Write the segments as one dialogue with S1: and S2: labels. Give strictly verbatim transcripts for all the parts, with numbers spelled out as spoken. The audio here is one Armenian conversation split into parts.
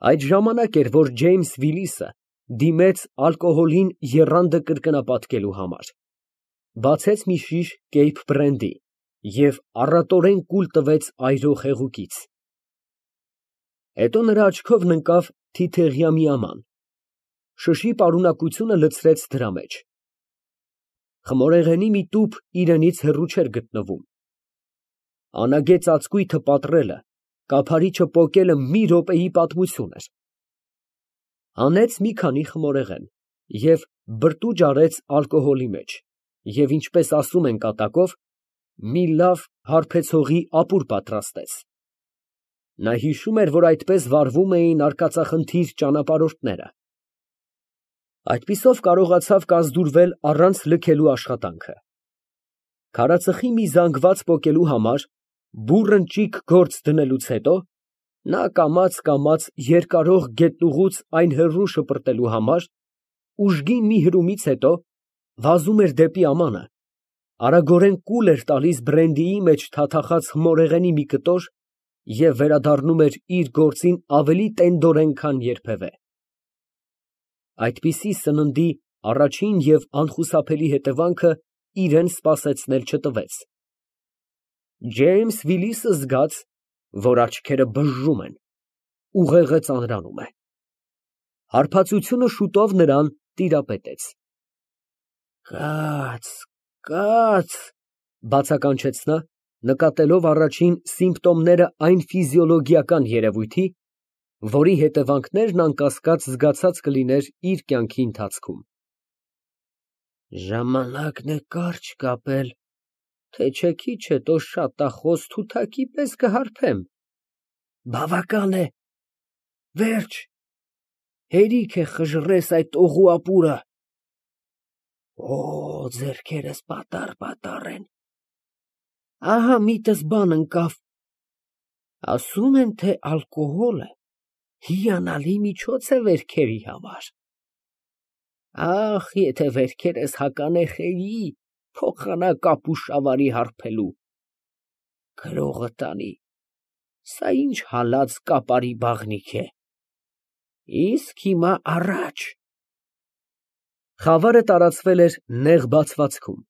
S1: Այդ ժամանակ էր, որ Ջեյմս Վիլիսը դիմեց ալկոհոլին եռանդը կրկնապատկելու համար, բացեց մի շիշ կեյփ բրենդի և առատորեն կուլ տվեց այրող հեղուկից։ Հետո նրա աչքովն ընկավ թիթեղյա մի աման, շշի պարունակությունը լցրեց դրա մեջ։ Խմորեղենի մի տուփ իրենից հեռու չէր գտնվում։ Անագե ծածկույթը պատռելը, կափարիչը պոկելը մի րոպեի պատմություն էր։ Հանեց մի քանի խմորեղեն և բրտուճ արեց ալկոհոլի մեջ և, ինչպես ասում են կատակով, մի լավ հարբեցողի ապուր պատրաստեց։ Նա հիշում էր, որ այդպես վարվում էին արկածախնդիր ճանապարհորդները։ Այդպիսով կարողացավ կազդուրվել առանց լքելու աշխատանքը։ Քարածխի մի զանգված պոկելու համար, բուռն ճիգ գործ դնելուց հետո, նա կամաց֊կամաց երկարող գետնուղուց այն հեռու շպրտելու համար, ուժգին մի հրումից հետո, վազում էր դեպի ամանը, արագորեն կուլ էր տալիս բրենդիի մեջ թաթախած խմորեղենի մի կտոր և վերադառնում էր իր գործին ավելի տենդորեն, քան երբևէ։ Այդպիսի սննդի առաջին և անխուսափելի հետևանքը իրան սպասեցնել չտվեց։ Ջեյմս Վիլիսը զգաց, որ աչքերը բժժում են, ուղեղը ծանրանում է։ Հարբածությունը շուտով նրան տիրապետեց։ «Կաց, կաց», բացականչեց նա, նկատելով առաջին սիմպտոմները այն ֆիզիոլոգիական երևույթի, որի հետևանքներն անկասկած զգացած կլիներ իր կյանքի ընթացքում։ «Ժամանակն է կարճ կապել, թե չէ քիչ հետո շատախոս թութակի պես կհարբեմ։ Բավական է, վերջ, հերիք է խժռես այդ օղու ապուրը։ Օ, ձեռքերս պատառ֊պատառ են։ Ահա միտս բան ընկավ. ասում են, թե ալկոհոլը հիանալի միջոց է վերքերի համար։ Ախ, եթե վերքերս հականեխեի, փոխանակ ապուշավարի հարբելու։ Գրողը տանի, սա ինչ հալած կապարի բաղնիք է։ Իսկ հիմա առաջ»։ Խավարը տարածվել էր նեղ բացվածքում,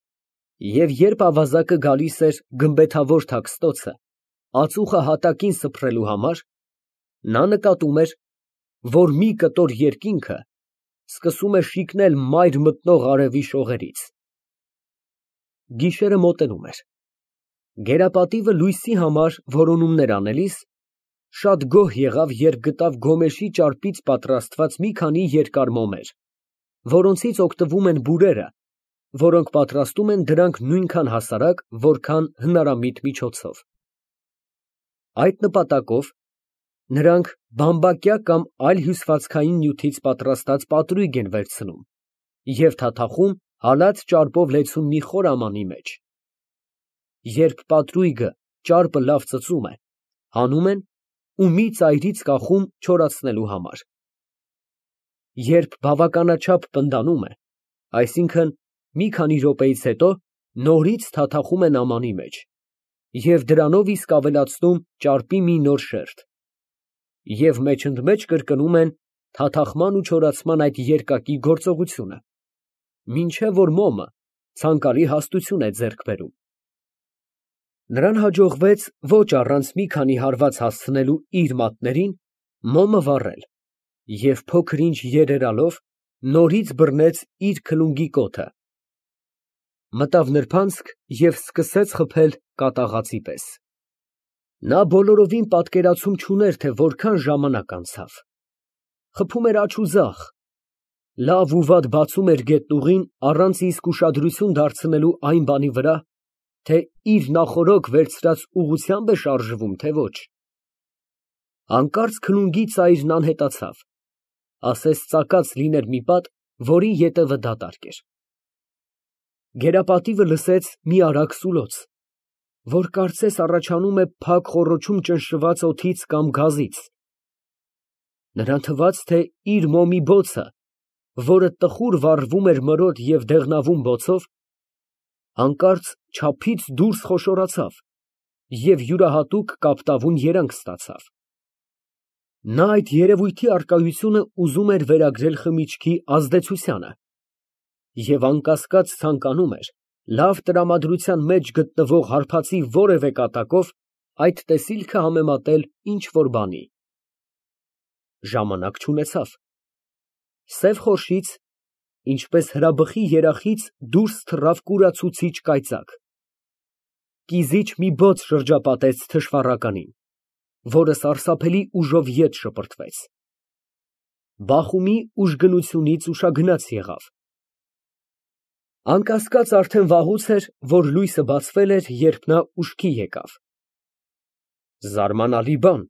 S1: և երբ ավազակը գալիս էր գմբեթավոր թաքստոցը, ածուխը հատակին սփռելու համար, նա նկատում էր, որ մի կտոր երկինքը սկսում է շիկնել մայր մտնող արևի շողերից։ Գիշերը մոտենում էր։ Գերապատիվը լույսի համար որոնումներ անելիս, շատ գոհ եղավ, երբ գտավ գոմեշի ճարպից պատրաստված մի քանի երկար մոմեր, որոնցից օգտվում են բուրերը, որոնք պատրաստում են դրանք նույնքան հասարակ, որքան հնարամիտ միջոցով։ Այդ նպատակով նրանք բամբակյա կամ այլ հյուսվածքային նյութից պատրաստած պատրույգ են վերցնում և թաթախում հալած ճարպով լեցուն մի խոր ամանի մեջ։ Երբ պատրույգը ճարպը լավ ծծում է, հանում են ու մի ծայրից կախում չորացնելու համար։ Երբ բավականաչափ պնդանում է, այսինքն մի քանի րոպեից հետո, նորից թաթախում են ամանի մեջ և դրանով իսկ ավելացնում ճարպի մի նոր շերտ, և մեջ֊ընդմեջ կրկնում են թաթախման ու չորացման այդ երկակի գործողությունը, մինչև որ մոմը ցանկալի հաստություն է ձեռք բերում։ Նրան հաջողվեց ոչ առանց մի քանի հարված հասցնելու իր մատներին, մոմը վառել և փոքր֊ինչ երերալով, նորից բռնեց իր քլունգի կոթը, մտավ նրբանցք և սկսեց խփել կատաղածի պես։ Նա բոլորովին պատկերացում չուներ, թե որքան ժամանակ անցավ։ Խփում էր աջ ու ձախ, լավ ու վատ բացում էր գետնուղին առանց իսկ ուշադրություն դարձնելու այն բանի վրա, թե իր նախօրոք վերցրած ուղղությամբ է շարժվում, թե ոչ։ Հանկարծ քլունգի ծայրն անհետացավ, ասես ծակած լիներ մի պատ, որի ետևը դատարկ էր։ Գերապատիվը լսեց մի արագ սուլոց, որ կարծես առաջանում է փակ խոռոչում ճնշված օդից կամ գազից։ Նրան թվաց, թե իր մոմի բոցը, որը տխուր վառվում էր մրոտ և դեղնավուն բոցով, հանկարծ չափից դուրս խոշորացավ և յուրահատուկ կապտավուն երանգ ստացավ։ Նա այդ երևույթի առկայությունը ուզում էր վերագրել խմիչքի ազդեցությանը և անկասկած ցանկանում էր լավ տրամադրության մեջ գտնվող հարբածի որևէ կատակով այդ տեսիլքը համեմատել ինչ֊որ բանի։ Ժամանակ չունեցավ։ Սև խորշից, ինչպես հրաբխի երախից, դուրս թռավ կուրացուցիչ կայծակ։ Կիզիչ մի բոց շրջապատեց թշվառականին, որը սարսափելի ուժով ետ շպրտվեց։ Բախումի ուժգնությունից ուշագնաց եղավ։ Անկասկած արդեն վաղուց էր, որ լույսը բացվել էր, երբ նա ուշքի եկավ։ Զարմանալի բան,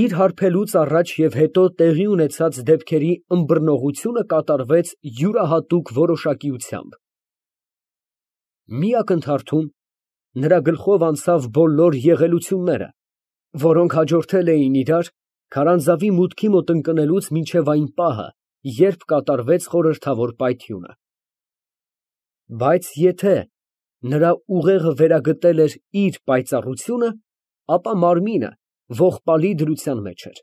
S1: իր հարբելուց առաջ և հետո տեղի ունեցած դեպքերի ըմբռնողությունը կատարվեց յուրահատուկ որոշակիությամբ։ Մի ակնթարթում նրա գլխով անցավ բոլոր եղելությունները, որոնք հաջորդել էին իրար քարանձավի մուտքի մոտ ընկնելուց մինչև այն պահը, երբ կատարվեց խորհրդավոր պայթյունը։ Բայց եթե նրա ուղեղը վերագտել էր իր պայծառությունը, ապա մարմինը ողբալի դրության մեջ էր։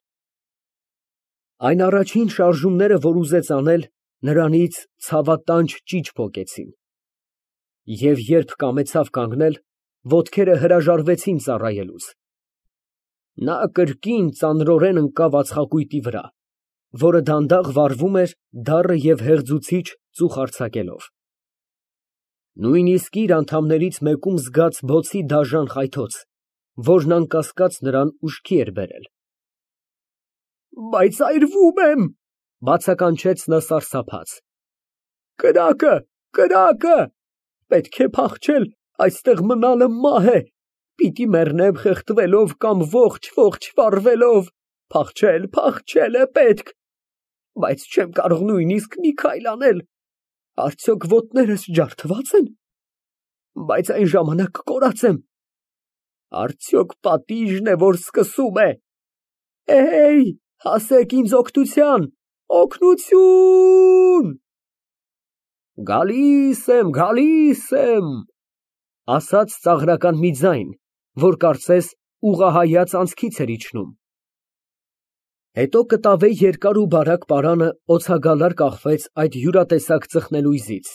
S1: Այն առաջին շարժումները, որ ուզեց անել, նրանից ցավատանջ ճիչ պոկեցին, և երբ կամեցավ կանգնել, ոտքերը հրաժարվեցին ծառայելուց։ Նա կրկին ծանրորեն ընկավ ածխակույտի վրա, որը դանդաղ վառվում էր դառը և հեղձուցիչ ծուխ արձակելով։ Նույնիսկ իր անդամներից մեկում զգաց բոցի դաժան խայթոց, որն անկասկած նրան ուշքի էր բերել։ Բայց այրվում եմ, բացականչեց նա սարսափած։ Կրակը, կրակը, պետք է փախչել, այստեղ մնալը մահ է, պիտի մեռնեմ խեղդվելով կամ ողջ֊ողջ վառվելով, փախչել, փախչել է պետք, բայց չեմ կարող նույնիսկ մի քայլ անել, արդյոք ոտներս ջարդվա՞ծ են, բայց այն ժամանակ կորած եմ, արդյոք պատիժն է, որ սկսում է, էհեյ, հասեք ինձ օգնության, օգնություն… Գալիս եմ, գալիս եմ, ասաց ծաղրական մի ձայն, որ կարծես ուղղահայաց անցքից էր իջնում։ Հետո կտավե երկար ու բարակ պարանը օձագալար կախվեց այդ յուրատեսակ ծխնելույզից։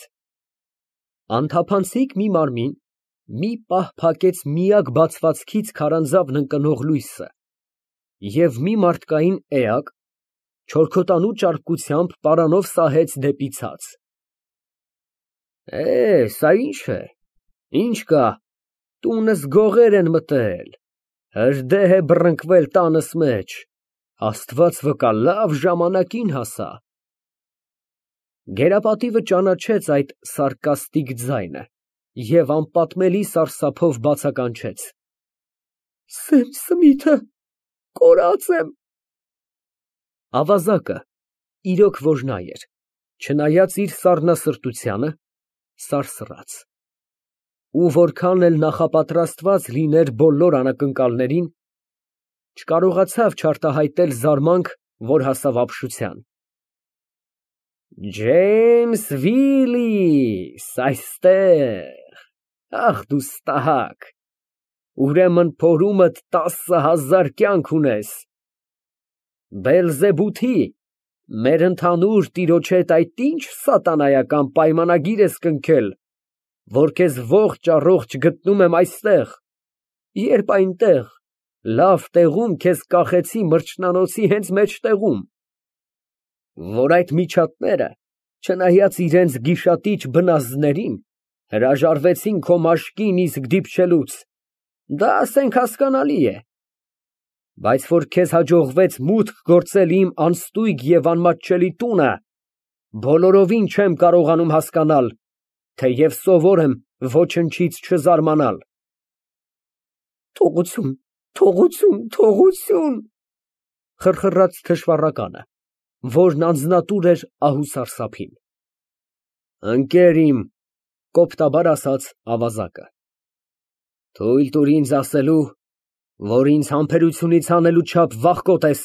S1: Անթափանցիկ մի մարմին մի պահ փակեց միակ բացվածքից քարանձավն ընկնող լույսը, և մի մարդկային էակ չորքոտանու ճարպկությամբ պարանով սահեց դեպի ցած։ Է, սա ի՞նչ է, ի՞նչ կա, տունս գողեր են մտել, հրդեհ է բռնկվել տանս մեջ, Աստված վկա, լավ ժամանակին հասա։ Գերապատիվը ճանաչեց այդ սարկաստիկ ձայնը և անպատմելի սարսափով բացականչեց. Սեմ֊Սմիթը, կորած եմ… Ավազակը, իրոք որ նա էր, չնայած իր սառնասրտությանը, սարսռաց, ու որքան էլ նախապատրաստված լիներ բոլոր անակնկալներին, չկարողացավ չարտահայտել զարմանք, որ հասավ ապշության։ Ջեյմս Վիլլիս, այստեղ, ախ դու ստահակ, ուրեմն փորումդ տասը հազար կյանք ունես, Բելզեբութի, մեր ընդհանուր տիրոջ հետ այդ ի՞նչ սատանայական պայմանագիր ես կնքել, որ քեզ ողջ֊առողջ գտնում եմ այստեղ, երբ այնտեղ, լավ տեղում քեզ կախեցի մրջնանոցի հենց մեջտեղում, որ այդ միջատները, չնայած իրենց գիշատիչ բնազդներին, հրաժարվեցին քո մաշկին իսկ դիպչելուց, դա ասենք հասկանալի է, բայց որ քեզ հաջողվեց մուտք գործել իմ անստույգ և անմատչելի տունը, բոլորովին չեմ կարողանում հասկանալ, թեև սովոր եմ ոչնչից չզարմանալ։ Թողություն, թողություն, թողություն… խռխռաց թշվառականը, որն անձնատուր էր ահ ու սարսափին։ Ընկեր իմ, կոպտաբար ասաց ավազակը, թույլ տուր ինձ ասելու, որ ինձ համբերությունից հանելու չափ վախկոտ ես,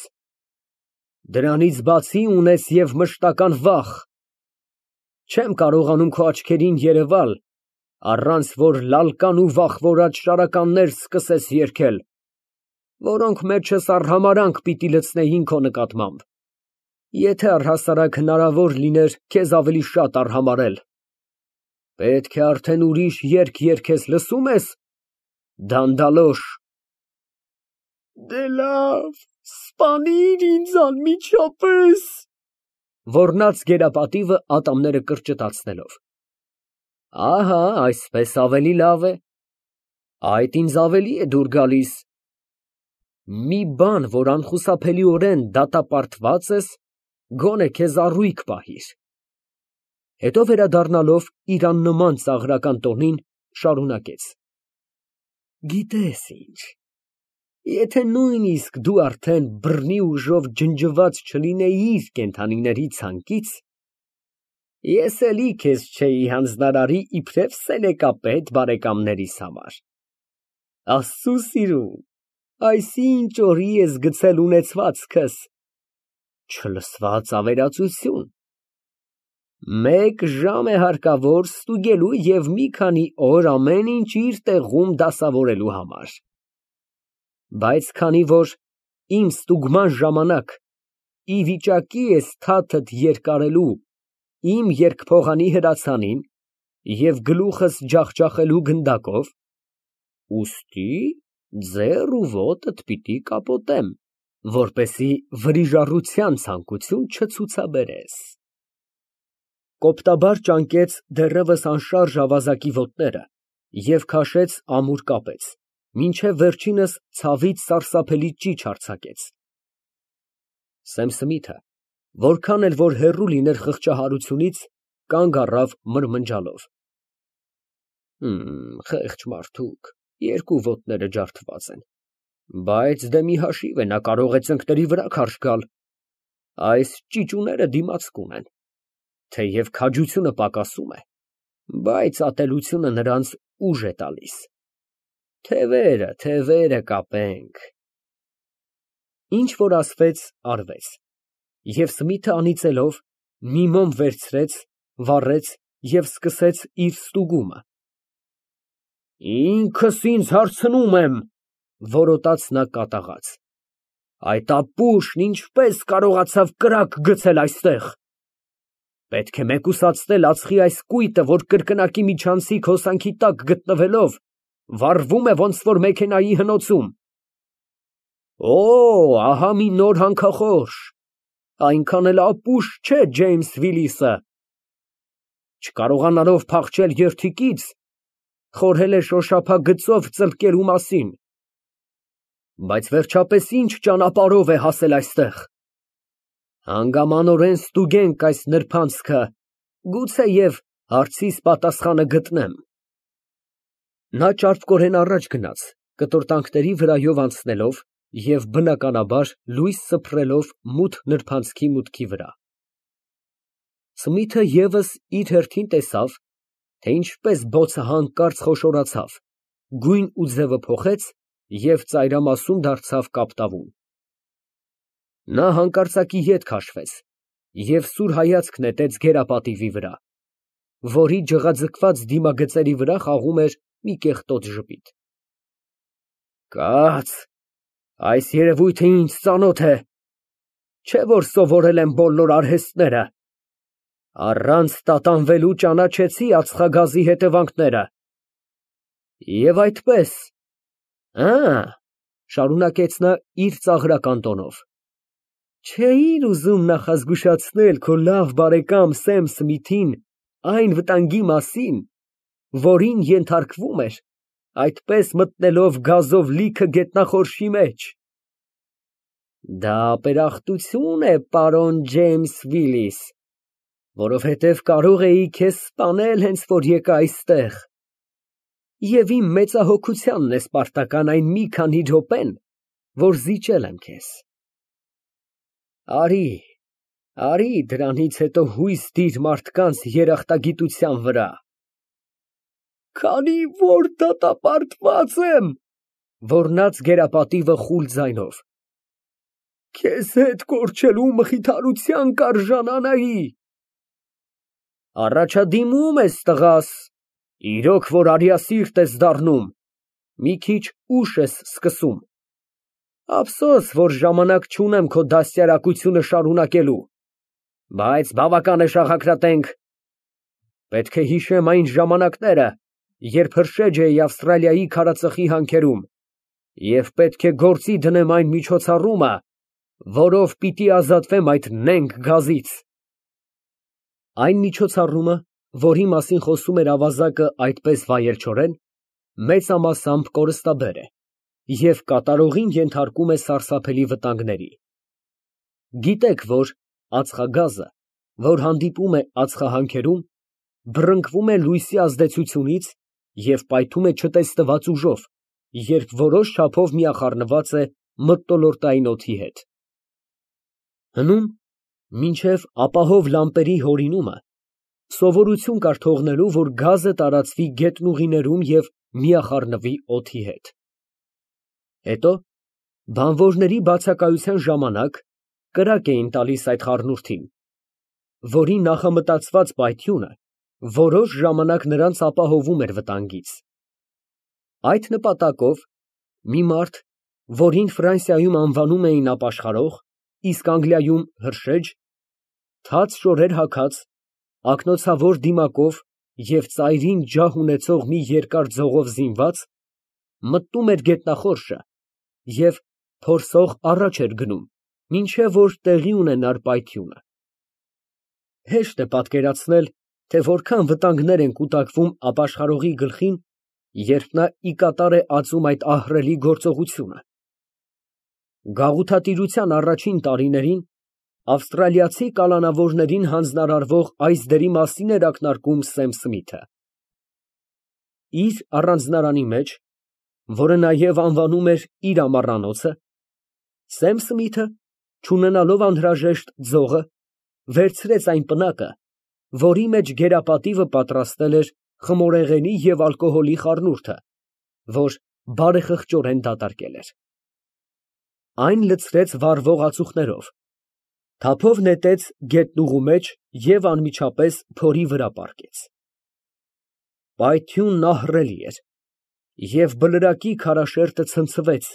S1: դրանից բացի ունես և մշտական վախ, չեմ կարողանում քո աչքերին երևալ, առանց որ լալկան ու վախվորած շարականներ սկսես երգել։ որոնք մեջս արհամարհանք պիտի լցնեին քո նկատմամբ, եթե առհասարակ հնարավոր լիներ քեզ ավելի շատ արհամարհել, պետք է արդեն ուրիշ երգ երգես, լսո՞ւմ ես, դանդալոշ։
S2: Դե լավ, սպանիր ինձ անմիջապես։
S1: Ոռնաց գերապատիվը ատամները կրճտացնելով։ Ահա, այսպես ավելի լավ է, այդ ինձ ավելի է դուր գալիս։ Մի բան, որ անխուսափելիորեն դատապարտված ես, գոնե քեզ առույգ պահիր։ Հետո վերադառնալով իր աննման ծաղրական տոնին, շարունակեց. Գիտես ինչ, եթե նույնիսկ դու արդեն բռնի ուժով ջնջված չլինեիր կենդանիների ցանկից, ես էլի քեզ չէի հանձնարարի իբրև սենեկապետ բարեկամներիս համար։ Աստծու սիրուն, այսինչ օրի ես գցել ունեցվածքս, չլսված ավերածություն։ Մեկ ժամ է հարկավոր ստուգելու և մի քանի օր ամեն ինչ իր տեղում դասավորելու համար։ Բայց քանի որ իմ ստուգման ժամանակ ի վիճակի ես թաթդ երկարելու իմ երկփողանի հրացանին և գլուխս ջախջախելու գնդակով, ուստի ձեռ ու ոտդ պիտի կապոտեմ, որպեսզի վրիժառության ցանկություն չցուցաբերես։ Կոպտաբար ճանկեց դեռևս անշարժ ավազակի ոտները և քաշեց ամուր կապեց, մինչև վերջինս ցավից սարսափելի ճիչ արձակեց։ Սեմսմիթը, որքան էլ որ հեռու լիներ խղճահարությունից, կանգ առավ մրմնջալով։ Խեղճ մարդուկ, երկու ոտները ջարդված են, բայց դե մի հաշիվ է, նա կարող է ծնկների վրա քարշ գալ, այս ճիճուները դիմացկ ունեն, թեև քաջությունը պակասում է, բայց ատելությունը նրանց ուժ է տալիս։ Թևերը, թևերը կապենք։ Ինչ որ ասվեց, արվեց, և Սմիթը անիծելով մի մոմ վերցրեց, վառեց և սկսեց իր ստուգումը։ Ինքս ինձ հարցնում եմ, որոտաց նա կատաղած, այդ ապուշն ինչպես կարողացավ կրակ գցել այստեղ։ Պետք է մեկուսացնել ածխի այս կույտը, որ կրկնակի միջանցիկ հոսանքի տակ գտնվելով, վառվում է ոնց որ մեքենայի հնոցում։ Օ, ահա մի նոր հանքախորշ, այնքան էլ ապուշ չէ Ջեյմս Վիլիսը։ Չկարողանալով փախչել երդիկից, խորհել է շոշափագծով ծլկելու մասին։ Բայց վերջապես ինչ ճանապարհով է հասել այստեղ։ Հանգամանորեն ստուգենք այս նրբանցքը, գուցեև հարցիս պատասխանը գտնեմ։ Նա ճարպկորեն առաջ գնաց, կտորտանքների վրայով անցնելով և բնականաբար լույս սփռելով մութ նրբանցքի մուտքի վրա։ Սմիթը ևս իր հերթին տեսավ, թե ինչպես բոցը հանկարծ խոշորացավ, գույն ու ձևը փոխեց և ծայրամասում դարձավ կապտավուն։ Նա հանկարծակի ետ քաշվեց և սուր հայացք նետեց գերապատիվի վրա, որի ջղաձգված դիմագծերի վրա խաղում էր մի կեղտոտ ժպիտ։ Կաց, այս երևույթը ինձ ծանոթ է, չէ որ սովորել եմ բոլոր արհեստները, առանց տատանվելու ճանաչեցի ածխագազի հետևանքները։ Եվ այդպես, ա՞, շարունակեց նա իր ծաղրական տոնով, չէիր ուզում նախազգուշացնել քո լավ բարեկամ Սեմ Սմիթին այն վտանգի մասին, որին ենթարկվում էր, այդպես մտնելով գազով լիքը գետնախորշի մեջ։ Դա ապերախտություն է, պարոն Ջեյմս Վիլիս, որովհետև կարող էի քեզ սպանել հենց որ եկա այստեղ, և իմ մեծահոգությանն է պարտական այն մի քանի րոպեն, որ զիջել եմ քեզ։ Արի, արի դրանից հետո հույս դիր մարդկանց երախտագիտության վրա։ Քանի որ դատապարտված եմ, ոռնաց գերապատիվը խուլ ձայնով, քեզ հետ կորչելու մխիթարության կարժանանայի։ Առաջադիմում ես, տղաս, իրոք որ արիասիրտ ես դառնում, մի քիչ ուշ ես սկսում։ Ափսոս, որ ժամանակ չունեմ քո դաստիարակությունը շարունակելու, բայց բավական է շաղակրատենք։ Պետք է հիշեմ այն ժամանակները, երբ հրշեջ էի Ավստրալիայի քարածխի հանքերում, և պետք է գործի դնեմ այն միջոցառումը, որով պիտի ազատվեմ այդ նենգ գազից։ Այն միջոցառումը, որի մասին խոսում էր ավազակը այդպես վայելչորեն, մեծամասամբ կորստաբեր է և կատարողին ենթարկում է սարսափելի վտանգների։ Գիտեք, որ ածխագազը, որ հանդիպում է ածխահանքերում, բռնկվում է լույսի ազդեցությունից և պայթում է չտեսնված ուժով, երբ որոշ չափով միախառնված է մթնոլորտային օդի հետ։ Հնում, մինչև ապահով լամպերի հորինումը, սովորություն կար թողնելու, որ գազը տարածվի գետնուղիներում և միախառնվի օդի հետ։ Հետո, բանվորների բացակայության ժամանակ, կրակ էին տալիս այդ խառնուրդին, որի նախամտածված պայթյունը որոշ ժամանակ նրանց ապահովում էր վտանգից։ Այդ նպատակով մի մարդ, որին Ֆրանսիայում անվանում էին ապաշխարող, իսկ Անգլիայում հրշեջ, թաց շորեր հագած, ակնոցավոր դիմակով և ծայրին ջահ ունեցող մի երկար ձողով զինված, մտնում էր գետնախորշը և փորսող առաջ էր գնում, մինչև որ տեղի ունենար պայթյունը։ Հեշտ է պատկերացնել, թե որքան վտանգներ են կուտակվում ապաշխարողի գլխին, երբ նա ի կատար է ածում այդ ահռելի գործողությունը։ Գաղութատիրության առաջին տարիներին ավստրալիացի կալանավորներին հանձնարարվող այս դերի մասին էր ակնարկում Սեմ Սմիթը։ Իր առանձնարանի մեջ, որը նաև անվանում էր իր ամառանոցը, Սեմ Սմիթը, չունենալով անհրաժեշտ ձողը, վերցրեց այն պնակը, որի մեջ գերապատիվը պատրաստել էր խմորեղենի և ալկոհոլի խառնուրդը, որ բարեխղճորեն դատարկել էր։ Այն լցրեց վառվող ածուխներով, թափով նետեց գետնուղու մեջ և անմիջապես փորի վրա պառկեց։ Պայթյունն ահռելի էր, և բլրակի քարաշերտը ցնցվեց,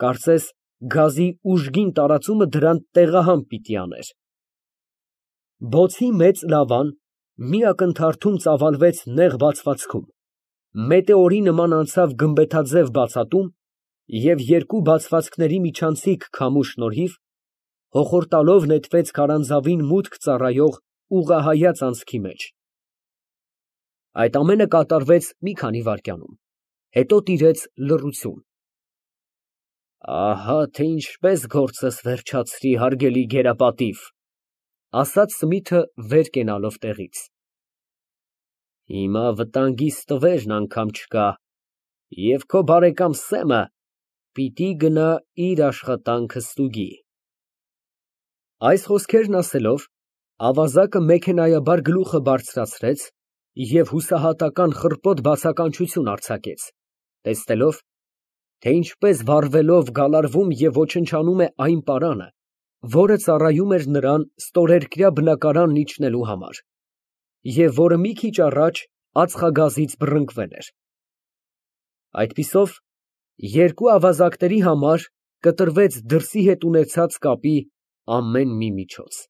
S1: կարծես գազի ուժգին տարածումը դրան տեղահան պիտի աներ։ Բոցի մեծ լավան մի ակնթարթում ծավալվեց նեղ բացվածքում, մետեորի նման անցավ գմբեթաձև բացատում և երկու բացվածքների միջանցիկ քամու շնորհիվ հոխորտալով նետվեց քարանձավին մուտք ծառայող ուղղահայաց անցքի մեջ։ Այդ ամենը կատարվեց մի քանի վայրկյանում, հետո տիրեց լռություն։ «Ահա թե ինչպես գործս վերջացրի, հարգելի գերապատիվ, ֊ ասաց Սմիթը վեր կենալով տեղից։ ֊ Հիմա վտանգիս տվերն անգամ չկա, և քո բարեկամ Սեմը պիտի գնա իր աշխատանքը ստուգի»։ Այս խոսքերն ասելով, ավազակը մեքենայաբար գլուխը բարձրացրեց և հուսահատական խռպոտ բացականչություն արձակեց, տեսնելով, թե ինչպես վառվելով գալարվում և ոչնչանում է այն պարանը, որը ծառայում էր նրան ստորերկրյա բնակարանն իջնելու համար, և որը մի քիչ առաջ ածխագազից բռնկվել էր։ Այդպիսով, երկու ավազակների համար կտրվեց դրսի հետ ունեցած կապի ամեն մի միջոց։